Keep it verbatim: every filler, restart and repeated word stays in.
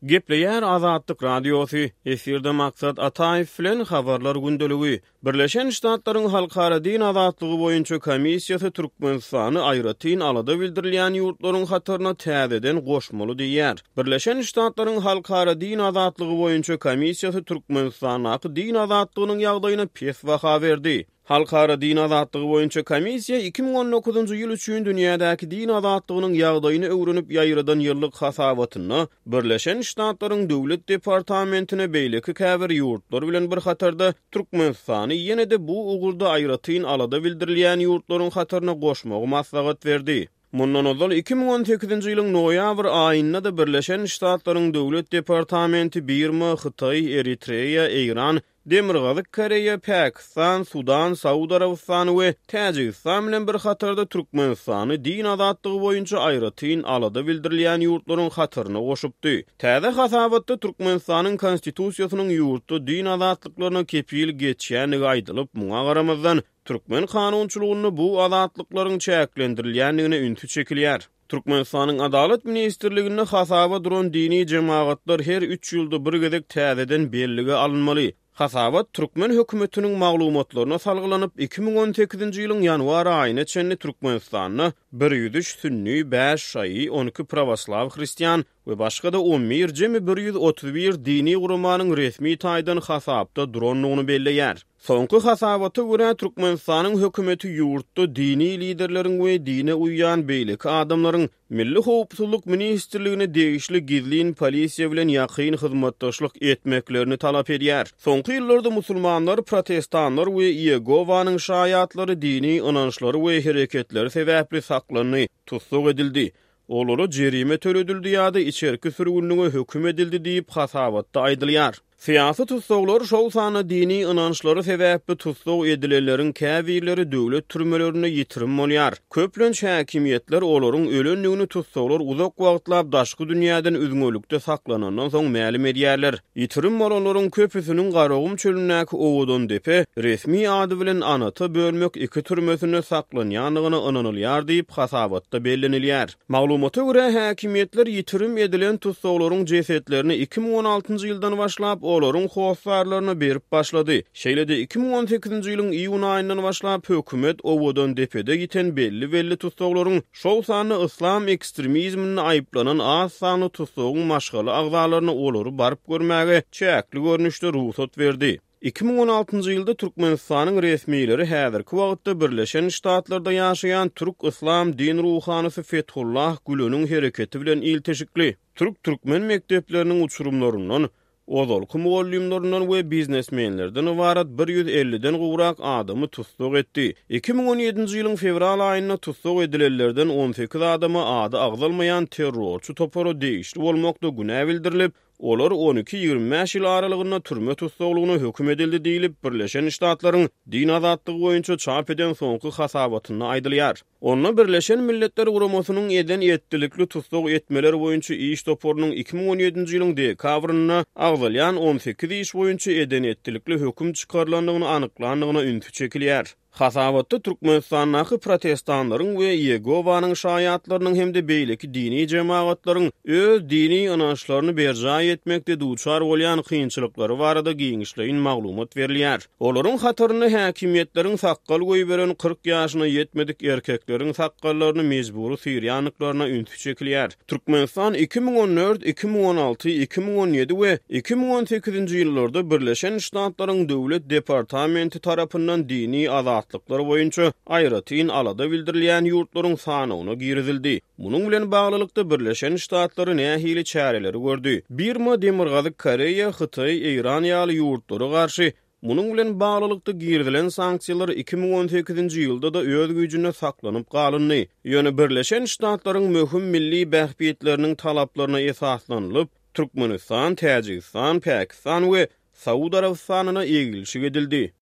Gepleýär Azatlyk Radiosy, efirde Maksat Ataýew bilen Habarlar gündeligi. Birleşen Ştatlaryň Halkara din azatlygy boýunça komissiýasy Türkmenistany aýratyn alada bildirilýän ýurtlaryň hataryna täzeden goşmaly diýýär. Birleşen Ştatlaryň Halkara din azatlygy boýunça komissiýasy Türkmenistandaky din azatlygynyň ýagdaýyna pes baha berdi. Halkara din azatlygy boýunça komissiýa iki müň on dokuzynjy ýyl üçin dünýädäki din azatlygynyň ýagdaýyny öwrenip ýaýradan ýyllyk hasabatynda Birleşen Ştatlaryň Döwlet departamentine beýleki käbir ýurtlar bilen bir hatarda Türkmenistany ýene-de bu ugurda aýratyn alada bildirilýän ýurtlaryň hataryna goşmagy maslahat berdi. Mundan ozal iki müň on sekizinji ýylyň noýabr aýynda-da Birleşen Ştatlaryň Döwlet departamenti Birma, Hytaý, Eritreýa, Eýran, Demirgazyk Koreýa, Pakistan, Sudan, Saud Arabystany we Täjigistan bilen bir hatarda Türkmenistany din azatlygy boýunça aýratyn alada bildirilýän ýurtlaryň hataryna goşupdy. Täze hasabatda Türkmenistanyň Konstitusiýasynyň ýurtda din azatlyklaryna kepil geçýändigi aýdylyp, muňa garamazdan türkmen kanunçylygynda bu azatlyklaryň çäklendirilýändigine ünsi çekilýär. Türkmenistanyň Adalat ministrliginde hasaba duran dini jemagatlar her üç ýylda bir gezek täzeden bellige alynmaly. Hasabat türkmen hökümetiniň maglumatlaryna salgylanyp, iki müň on sekizinji ýylyň ýanwar aýyna çenli Türkmenistanda bir ýüz üç sünni, bäş şaýy, on iki pravoslaw hristian we başga-da on bir jemi bir ýüz otuz bir dini guramanyň resmi taýdan hasapda durandygyny belleýär. Soňky hasabata görä Türkmenistanyň hökümeti ýurtda dini liderleriň we dine uýýan beýleki adamlaryň Milli Howpsuzlyk ministrligine degişli gizlin polisiýa bilen ýakyn hyzmatdaşlyk etmeklerini talap edýär. Soňky ýyllarda musulmanlar, protestanlar we Ýegowanyň şaýatlary dini ynançlary we hereketleri sebäpli saklandy, tussag edildi. Olara jerime töledildi ýa-da içerki sürgünlige höküm edildi diýip hasabatda aýdylýar. Syýasy tussaglar şol sanda dini ynançlary sebäpli tussag edilenleriň käbirleri döwlet türmelerinde ýitirim bolýar. Köplenç häkimiýetler olaryň ölendigini tussaglar uzak wagtlap daşky dünýäden üzňelikde saklanandan soň mälim edýärler. Ýitirim bolanlaryň köpüsiniň Garagum çölündäki Owadan depe resmi ady bilen Anata bölmek iki türmesinde saklanýandygyna ynanylýar diýip hasabatda bellenilýär. Maglumata görä häkimiýetler ýitirim edilen tussaglaryň jesetlerini iki müň on altynjy ýyldan başlap olaryň hossarlaryna berip başlady. Şeýle-de iki müň on sekizinji ýylyň iýun aýyndan başlap hökümet Owadan depede ýiten belli-belli tussaglaryň şol sanda yslam ekstremizminde aýyplanan az sanly tussagyň maşgala agzalaryna olary baryp görmäge çäkli görnüşde rugsat berdi. Iki müň on altynjy ýylda Türkmenistanyň resmileri häzirki wagtda Birleşen Ştatlarda ýaşaýan Türk Yslam din ruhanysy Fethullah Güleniň hereketi bilen ilteşikli Türk-Türkmen mekdepleriniň uçurumlaryndan, ozalky mugallymlaryndan we biznesmenlerden ybarat bir ýüz elliden gowrak adamy tussag etdi. Iki müň on ýedinji ýylyň fewral aýynda tussag edilenlerden on sekiz adama ady agzalmaýan terrorçy topara degişli bolmakda günä bildirilip, olar on iki ýigrimi bäş ýyl aralygynda türme tussaglygyna höküm edildi diýlip, Birleşen Ştatlaryň din azatlygy boýunça çap eden soňky hasabatynda aýdylýar. Onda Birleşen Milletler Guramasynyň eden etdilikli tussag etmeler boýunça iş toparynyň iki müň on ýedinji ýylyň dekabrynda agzalýan on sekiz iş boýunça eden etdilikli höküm çykarylandygyny anyklandygyna ünsi çekilýär. Hasabatda Türkmenistandaky protestanlaryň we Ýegowanyň şaýatlarynyň hem-de beýleki dini jemagatlaryň öz dini ynançlaryny berjaý etmekde duçar bolýan kynçylyklary barada giňişleýin maglumat berilýär. Olaryň hatarynda häkimiýetleriň sakgal goýberen kyrk ýaşyna ýetmedik erkekleriň sakgallaryny mejbury syrýandyklaryna ünsi çekilýär. Türkmenistan iki müň on dört, iki müň on alty, iki müň on ýedi we iki müň on sekizinji ýyllarda Birleşen Ştatlaryň Döwlet departamenti tarapyndan dini azatlyklar boýunça aýratyn alada bildirilýän ýurtlaryň sanawyna girizildi. Munuň bilen baglylykda Birleşen Ştatlary nähili çäreleri gördi? Birma, Demirgazyk Koreýa, Hytaý, Eýran ýaly ýurtlara garşy munuň bilen baglylykda girizilen sanksiýalar iki müň on sekizinji ýylda-da öz güýjünde saklanyp galyndy. Ýöne Birleşen Ştatlaryň möhüm milli bähbitleriniň talaplaryna esaslanylyp, Türkmenistan, Täjigistan, Pakistan we Saud Arabystanyna egilşik edildi.